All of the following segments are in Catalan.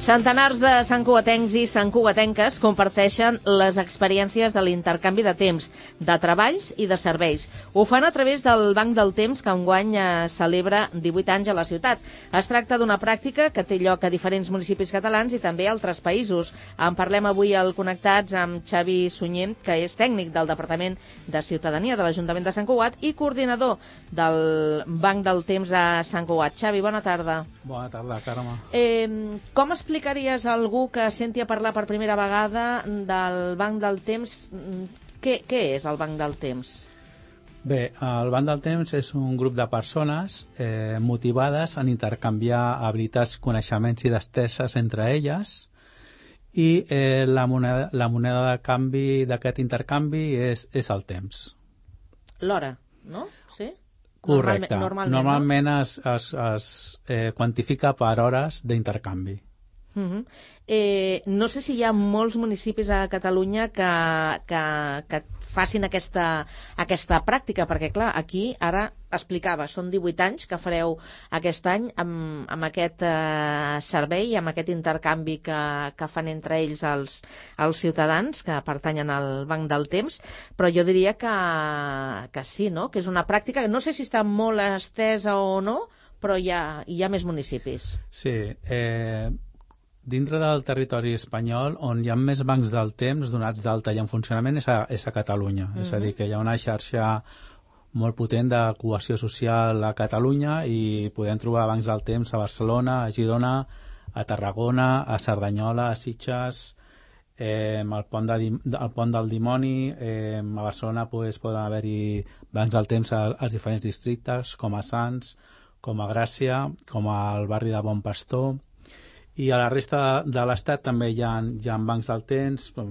Centenars de santcugatencs i santcugatenques comparteixen les experiències de l'intercanvi de temps, de treballs i de serveis. Ho fan a través del Banc del Temps, que enguany celebra 18 anys a la ciutat. Es tracta d'una pràctica que té lloc a diferents municipis catalans i també a altres països. En parlem avui al Connectats amb Xavi Sunyer, que és tècnic del Departament de Ciutadania de l'Ajuntament de Sant Cugat i coordinador del Banc del Temps a Sant Cugat. Xavi, bona tarda. Bona tarda, Carme. Com explicaries a algú que senti a parlar per primera vegada del Banc del Temps? Què és el Banc del Temps? Bé, el Banc del Temps és un grup de persones motivades en intercanviar habilitats, coneixements i destreses entre elles, i la moneda de canvi d'aquest intercanvi és el temps. L'hora, no? Sí? Correcte. Normalment no? es quantifica per hores d'intercanvi. No sé si hi ha molts municipis a Catalunya que facin aquesta pràctica, perquè clar, aquí ara explicava, són 18 anys que fareu aquest any amb aquest servei, amb aquest intercanvi que fan entre ells els ciutadans que pertanyen al Banc del Temps, però jo diria que sí, no? Que és una pràctica que no sé si està molt estesa o no, però hi ha més municipis. Sí, dintre del territori espanyol, on hi ha més bancs del temps donats d'alta i en funcionament és a Catalunya. És a dir, que hi ha una xarxa molt potent de cohesió social a Catalunya i podem trobar bancs del temps a Barcelona, a Girona, a Tarragona, a Cerdanyola, a Sitges, al Pont del Dimoni. A Barcelona poden haver-hi bancs del temps als diferents districtes, com a Sants, com a Gràcia, com al barri de Bon Pastor. I a la resta de l'Estat també hi ha bancs del temps, a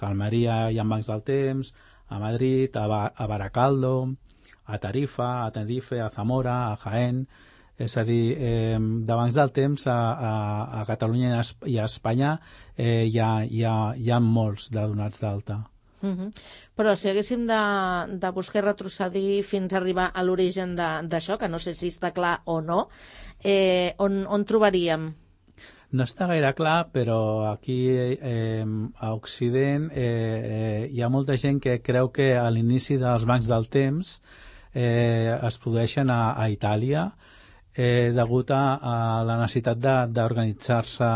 Almeria hi ha bancs del temps, a Madrid, a Baracaldo, a Tarifa, a Tenerife, a Zamora, a Jaén. És a dir, de bancs del temps a Catalunya i a Espanya hi ha molts de donats d'alta. Però si haguéssim de buscar retrocedir fins a arribar a l'origen d'això, que no sé si està clar o no, on trobaríem? No està gaire clar, però aquí a Occident hi ha molta gent que creu que a l'inici dels bancs del temps es produeixen a Itàlia degut a la necessitat d'organitzar-se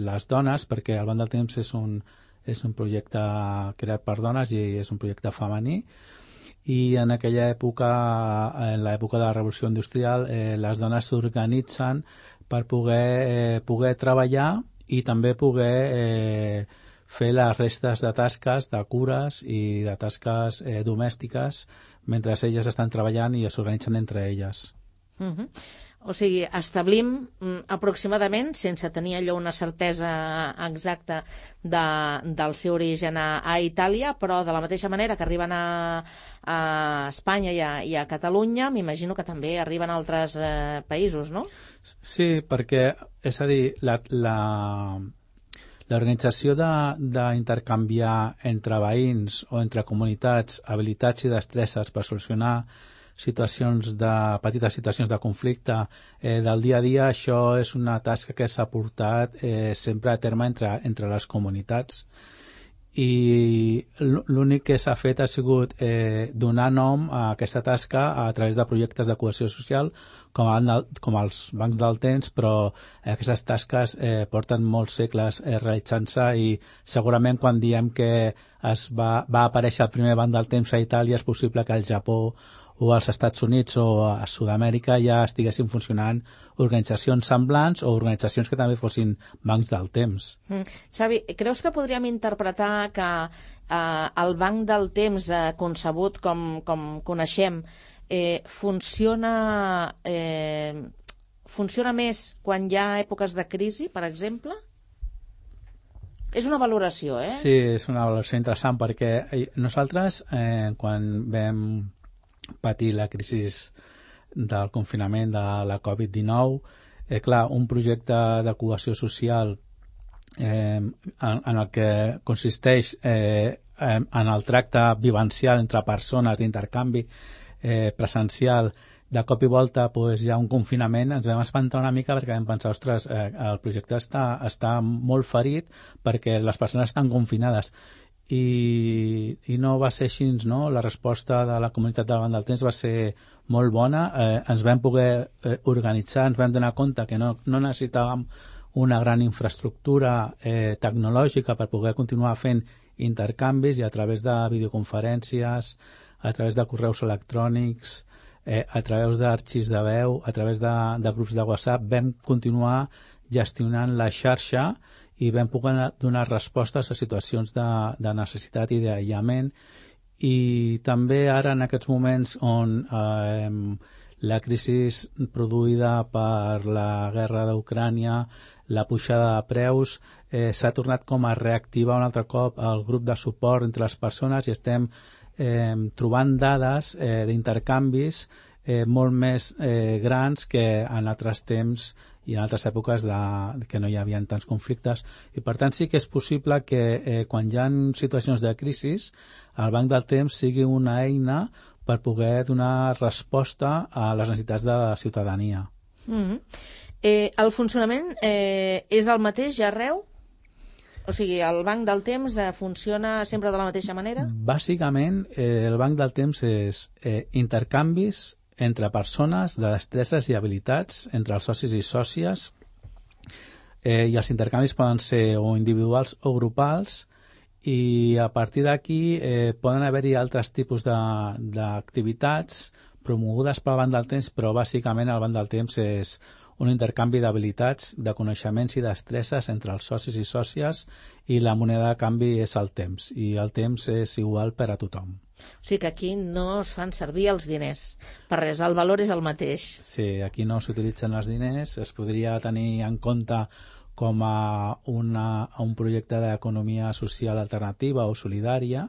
les dones, perquè el Banc del Temps és un projecte creat per dones i és un projecte femení, i en aquella època, en l'època de la Revolució Industrial, les dones s'organitzen per poder treballar i també poder fer les restes de tasques, de cures i de tasques domèstiques mentre elles estan treballant i s'organitzen entre elles. O sigui, establim aproximadament, sense tenir allò una certesa exacta del seu origen a Itàlia, però de la mateixa manera que arriben a Espanya i a Catalunya, m'imagino que també arriben a altres països, no? Sí, perquè, és a dir, l'organització d'intercanviar entre veïns o entre comunitats habilitats i destreses per solucionar petites situacions de conflicte del dia a dia, això és una tasca que s'ha portat sempre a terme entre les comunitats, i l'únic que s'ha fet ha sigut donar nom a aquesta tasca a través de projectes de cohesió social com els bancs del temps, però aquestes tasques porten molts segles realitzant-se, i segurament quan diem que va aparèixer el primer banc del temps a Itàlia és possible que al Japó o als Estats Units o a Sud-amèrica ja estiguessin funcionant organitzacions semblants o organitzacions que també fossin bancs del temps. Xavi, creus que podríem interpretar que el banc del temps concebut com coneixem funciona més quan hi ha èpoques de crisi, per exemple? És una valoració, eh? Sí, és una valoració interessant, perquè nosaltres, quan vam patir la crisi del confinament de la Covid-19, clar, un projecte de cohesió social en el que consisteix en el tracte vivencial entre persones, d'intercanvi presencial, de cop i volta pues, hi ha un confinament, ens vam espantar una mica perquè vam pensar, ostres, el projecte està molt ferit perquè les persones estan confinades. I no va ser així, no? La resposta de la comunitat del Banc del Temps va ser molt bona, ens vam poder organitzar, ens vam donar compte que no necessitàvem una gran infraestructura tecnològica per poder continuar fent intercanvis, i a través de videoconferències, a través de correus electrònics, a través d'arxius de veu, a través de grups de WhatsApp, vam continuar gestionant la xarxa i vam poder donar respostes a situacions de necessitat i d'aïllament. I també ara, en aquests moments on la crisi produïda per la guerra d'Ucrània, la pujada de preus, s'ha tornat com a reactivar un altre cop el grup de suport entre les persones, i estem trobant dades d'intercanvis molt més grans que en altres temps i en altres èpoques que no hi havia tants conflictes. I per tant sí que és possible que quan hi ha situacions de crisi el Banc del Temps sigui una eina per poder donar resposta a les necessitats de la ciutadania. El funcionament és el mateix ja arreu? O sigui, el Banc del Temps funciona sempre de la mateixa manera? Bàsicament, el Banc del Temps és intercanvis entre persones de destreses i habilitats, entre els socis i sòcies, i els intercanvis poden ser o individuals o grupals, i a partir d'aquí poden haver-hi altres tipus d'activitats promogudes pel Banc del Temps, però bàsicament el Banc del Temps és un intercanvi d'habilitats, de coneixements i destreses entre els socis i sòcies, i la moneda de canvi és el temps, i el temps és igual per a tothom. O sigui que aquí no es fan servir els diners per res, el valor és el mateix. Sí, aquí no s'utilitzen els diners, es podria tenir en compte com a un projecte d'economia social alternativa o solidària,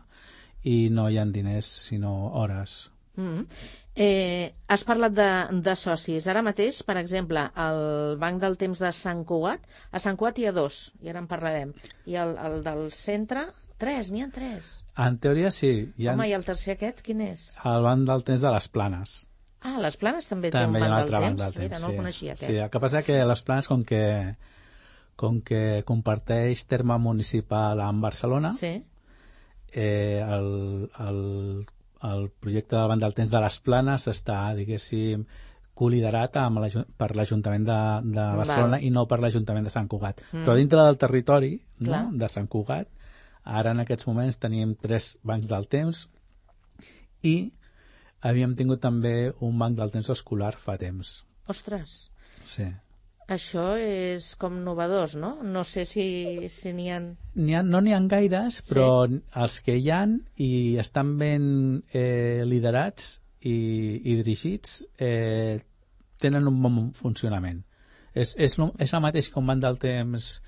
i no hi ha diners sinó hores. Has parlat de socis. Ara mateix, per exemple, el Banc del Temps de Sant Cugat, a Sant Cugat hi ha 2, i ara en parlarem, i el del centre, 3, n'hi ha 3. En teoria sí. Home, i el tercer aquest, quin és? El Banc del Temps de les Planes. Ah, les Planes també té un Banc del Temps? Mira, no el coneixia aquest. Sí, el que passa que les Planes, com que comparteix terme municipal amb Barcelona, sí. El projecte del Banc del Temps de les Planes està, diguéssim, coliderat per l'Ajuntament de Barcelona i no per l'Ajuntament de Sant Cugat. Però dintre del territori, no, de Sant Cugat, ara en aquests moments tenim 3 bancs del temps, i havíem tingut també un banc del temps escolar fa temps. Ostres! Sí. Això és com novedós, no? No sé si n'hi ha... No n'hi ha gaires, però els que hi ha i estan ben liderats i dirigits tenen un bon funcionament. És el mateix que un banc del temps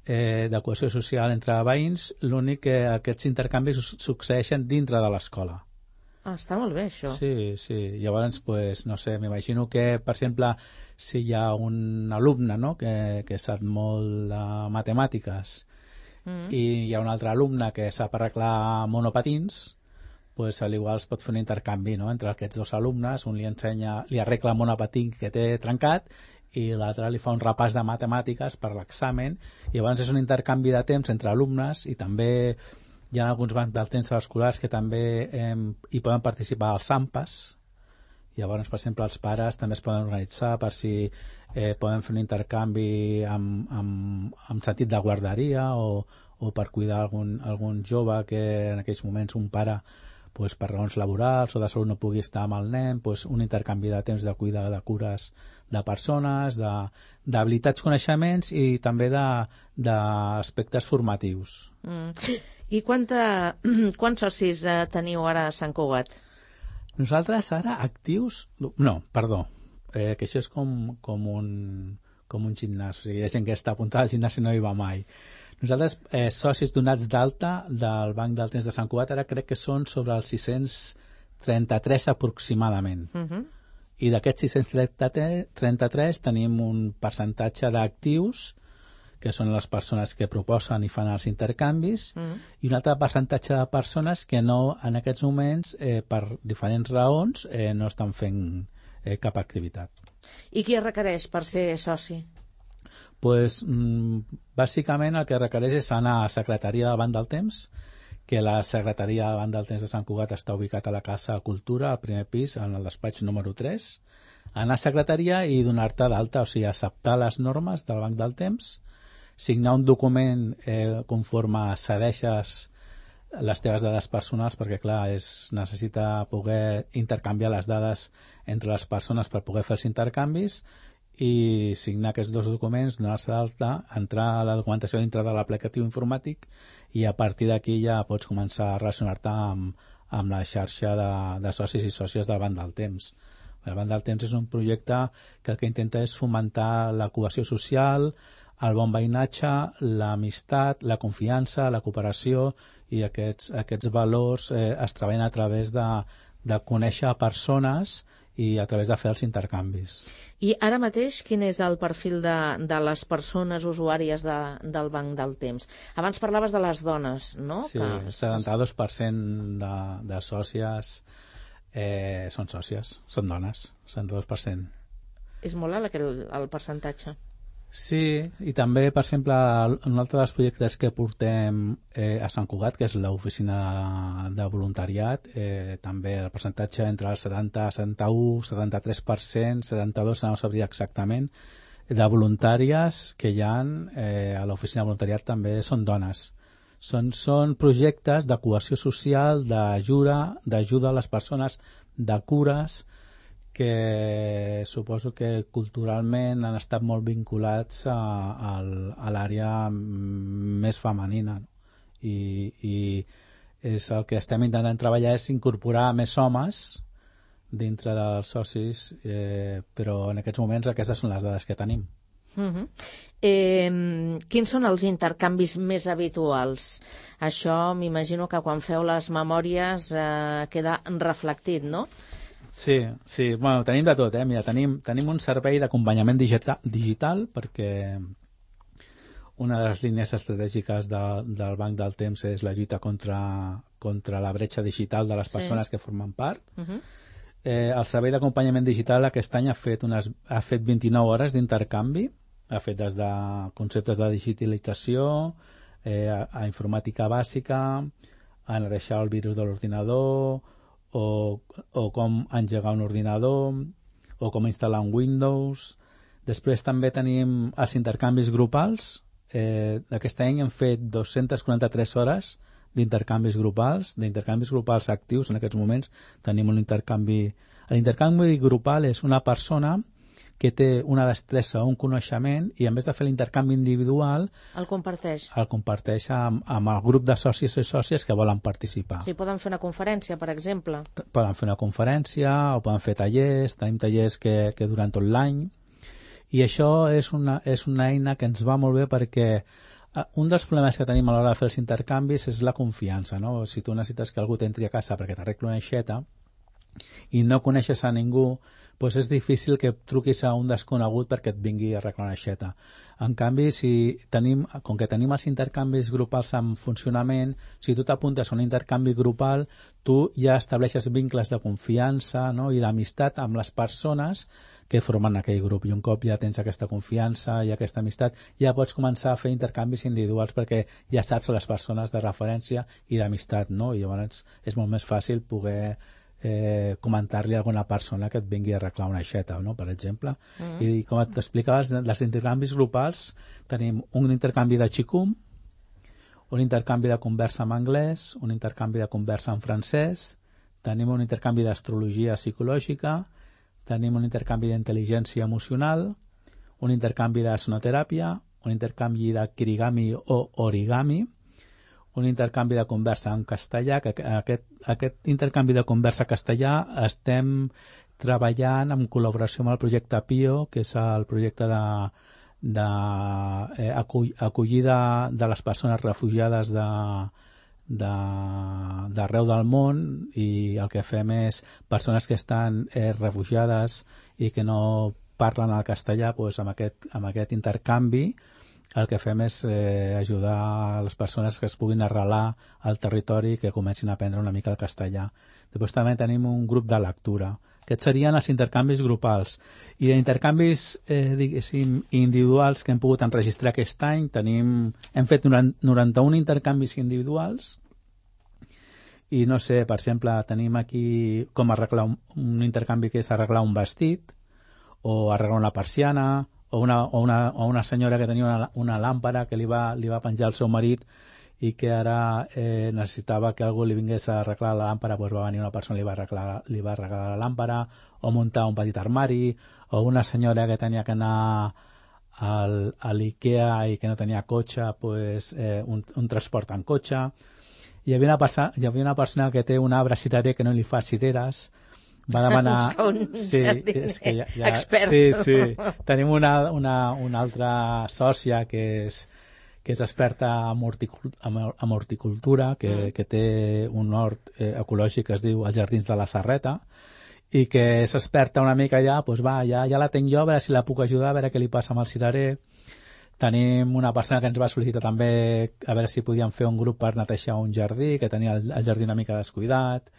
de cohesió social entre veïns, l'únic que aquests intercanvis succeeixen dintre de l'escola. Ah, està molt bé, això. Sí, sí. Llavors, pues, no sé, m'imagino que, per exemple, si hi ha un alumne, no?, que sap molt de matemàtiques i hi ha un altre alumne que sap arreglar monopatins, pues, igual es pot fer un intercanvi, no?, entre aquests dos alumnes. Un li arregla el monopatí que té trencat i l'altre li fa un repàs de matemàtiques per l'examen. Llavors és un intercanvi de temps entre alumnes, i també hi ha alguns bancs del temps escolars que també hi poden participar als AMPAs. Llavors, per exemple, els pares també es poden organitzar per si poden fer un intercanvi amb sentit de guarderia o per cuidar algun jove que en aquells moments un pare, pues, per raons laborals o de salut no pugui estar amb el nen, pues, un intercanvi de temps de cuidar de cures de persones, d'habilitats, coneixements i també d'aspectes formatius. I quants socis teniu ara a Sant Cugat? Nosaltres ara actius... No, perdó, que això és com un gimnàs. O sigui, hi ha gent que està apuntada al gimnàs i no hi va mai. Nosaltres, socis donats d'alta del Banc del Temps de Sant Cugat, ara crec que són sobre els 633 aproximadament. I d'aquests 633 tenim un percentatge d'actius, que són les persones que proposen i fan els intercanvis, i un altre percentatge de persones que no, en aquests moments, per diferents raons, no estan fent cap activitat. I qui es requereix per ser soci? Pues, bàsicament el que requereix és anar a la secretaria davant del temps, que la secretaria davant del temps de Sant Cugat està ubicat a la Casa Cultura, al primer pis, en el despatx número 3, anar a secretaria i donar-te d'alta, o sigui, acceptar les normes del Banc del Temps, signar un document conforme cedeixes les teves dades personals, perquè clar, necessita poder intercanviar les dades entre les persones per poder fer els intercanvis, i signar aquests dos documents, donar-se d'alta, entrar a la documentació dintre de l'aplicatiu informàtic, i a partir d'aquí ja pots començar a relacionar-te amb la xarxa de socis i sòcies del Banc del Temps. El Banc del Temps és un projecte que el que intenta és fomentar la cohesió social, el bon veïnatge, l'amistat, la confiança, la cooperació, i aquests valors es treballen a través de conèixer persones i a través de fer els intercanvis. I ara mateix quin és el perfil de les persones usuàries del Banc del Temps? Abans parlaves de les dones, no? Sí, el 72% de sòcies són sòcies, són dones, 72%. És molt alt el percentatge. Sí, i també, per exemple, un altre dels projectes que portem a Sant Cugat, que és l'oficina de voluntariat, també el percentatge entre el 70, 71, 73%, 72%, no sabria exactament, de voluntàries que hi ha a l'oficina de voluntariat també són dones. Són projectes de cohesió social, d'ajuda a les persones, de cures, que suposo que culturalment han estat molt vinculats a l'àrea més femenina, no? I és el que estem intentant treballar, és incorporar més homes dintre dels socis, però en aquests moments aquestes són les dades que tenim. Quins són els intercanvis més habituals? Això m'imagino que quan feu les memòries queda reflectit, no? Sí, bueno, tenim de tot, Mira, tenim un servei d'acompanyament digital, perquè una de les línies estratègiques del Banc del Temps és la lluita contra la bretxa digital de les persones que formen part. El servei d'acompanyament digital aquest any ha fet 29 hores d'intercanvi, ha fet des de conceptes de digitalització a informàtica bàsica, a deixar el virus de l'ordinador, o com engegar un ordinador, o com instal·lar un Windows. Després també tenim els intercanvis grupals. Aquest any hem fet 243 hores d'intercanvis grupals actius. En aquests moments tenim un intercanvi. L'intercanvi grupal és una persona que té una destressa o un coneixement i en vez de fer l'intercanvi individual el comparteix amb el grup de socis i sòcies que volen participar. Sí, poden fer una conferència, per exemple. Poden fer una conferència o poden fer tallers. Tenim tallers que duren tot l'any, i això és una eina que ens va molt bé, perquè un dels problemes que tenim a l'hora de fer els intercanvis és la confiança, no? Si tu necessites que algú t'entri a casa perquè t'arregli una aixeta i no coneixes a ningú, doncs és difícil que truquis a un desconegut perquè et vingui a arreglar una aixeta. En canvi, com que tenim els intercanvis grupals en funcionament, si tu t'apuntes a un intercanvi grupal, tu ja estableixes vincles de confiança, no? I d'amistat amb les persones que formen aquell grup, i un cop ja tens aquesta confiança i aquesta amistat, ja pots començar a fer intercanvis individuals perquè ja saps les persones de referència i d'amistat, no? I llavors és molt més fàcil poder comentar-li a alguna persona que et vingui a arreglar una aixeta, no? Per exemple. I com t'explicaves, els intercanvis grupals tenim un intercanvi de xicum, un intercanvi de conversa en anglès, un intercanvi de conversa en francès, tenim un intercanvi d'astrologia psicològica, tenim un intercanvi d'intel·ligència emocional, un intercanvi de sonoteràpia, un intercanvi de kirigami o origami, un intercanvi de conversa en castellà, que aquest intercanvi de conversa castellà estem treballant en col·laboració amb el projecte PIO, que és el projecte d'acollida de les persones refugiades d'arreu del món, i el que fem és persones que estan refugiades i que no parlen el castellà, doncs amb aquest intercanvi el que fem és ajudar les persones que es puguin arrelar al territori i que comencin a aprendre una mica el castellà. Després també tenim un grup de lectura. Aquests serien els intercanvis grupals. I d'intercanvis, diguéssim, individuals que hem pogut enregistrar aquest any, hem fet 91 intercanvis individuals i no sé, per exemple, tenim aquí com arreglar un intercanvi que és arreglar un vestit o arreglar una persiana o una senyora que tenia una làmpara que li va penjar el seu marit i que ara necessitava que algú li vingués a arreglar la làmpara, doncs va venir una persona i li va arreglar la làmpara, o muntar un petit armari, o una senyora que tenia que anar a l'IKEA i que no tenia cotxe, doncs, un transport en cotxe. Hi havia una persona que té un arbre cirerer que no li fa cireres, va demanar... Sí, és que expert. Sí. Tenim una altra sòcia que és experta en horticultura, que té un hort ecològic que es diu els Jardins de la Serreta, i que és experta una mica ja, doncs ja la tenc jo, a veure si la puc ajudar, a veure què li passa amb el cirerer. Tenim una persona que ens va sol·licitar també a veure si podíem fer un grup per netejar un jardí, que tenia el jardí una mica descuidat.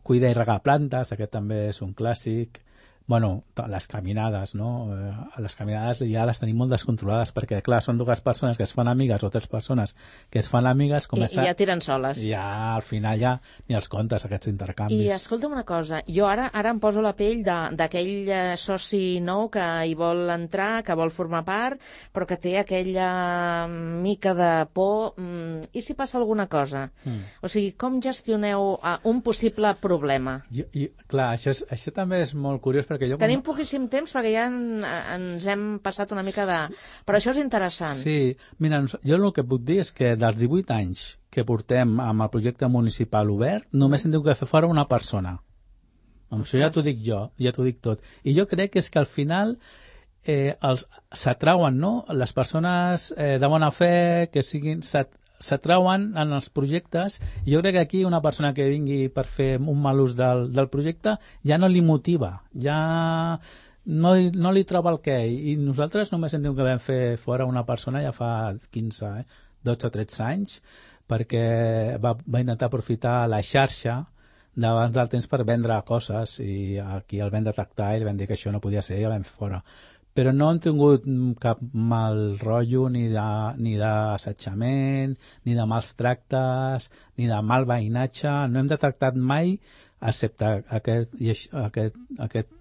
Cuidar i regar plantes, aquest també és un clàssic. Bueno, les caminades, no? Les caminades ja les tenim molt descontrolades perquè, clar, són dues persones que es fan amigues o 3 persones que es fan amigues... I ja tiren soles. Ja, al final ja ni els comptes, aquests intercanvis. I escolta'm una cosa, jo ara em poso la pell d'aquell soci nou que hi vol entrar, que vol formar part, però que té aquella mica de por. I si passa alguna cosa? O sigui, com gestioneu un possible problema? Clar, això també és molt curiós perquè tenim poquíssim temps perquè ja ens hem passat una mica de... Però això és interessant. Sí, mira, jo el que puc dir és que dels 18 anys que portem amb el projecte municipal obert, només hem tingut que fer fora una persona. Amb això ja t'ho dic jo, ja t'ho dic tot. I jo crec que és que al final s'atrauen, no? Les persones de bona fe que siguin... s'atrauen en els projectes i jo crec que aquí una persona que vingui per fer un mal ús del projecte ja no li motiva, ja no li troba el què, i nosaltres només hem tingut que vam fer fora una persona ja fa 15, 12 o 13 anys perquè va intentar aprofitar la xarxa d'abans del temps per vendre coses i aquí el vam detectar i vam dir que això no podia ser i el vam fer fora. Però no hem tingut cap mal rotllo ni d'assetjament, ni de mals tractes, ni de mal veïnatge. No hem detectat mai, excepte aquest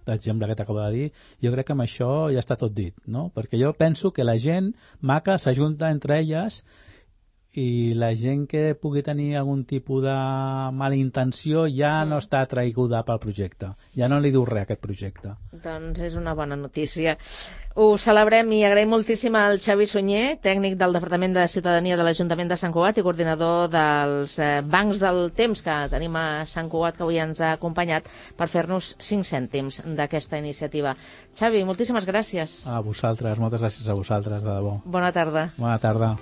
exemple que t'acabo de dir. Jo crec que amb això ja està tot dit, no? Perquè jo penso que la gent maca s'ajunta entre elles i la gent que pugui tenir algun tipus de mala intenció ja no està atraiguda pel projecte, ja no li diu res a aquest projecte. Doncs és una bona notícia. Ho celebrem i agraïm moltíssim al Xavi Sunyer, tècnic del Departament de Ciutadania de l'Ajuntament de Sant Cugat i coordinador dels bancs del temps que tenim a Sant Cugat, que avui ens ha acompanyat per fer-nos 5 cèntims d'aquesta iniciativa. Xavi, moltíssimes gràcies. A vosaltres, moltes gràcies a vosaltres, de debò. Bona tarda. Bona tarda.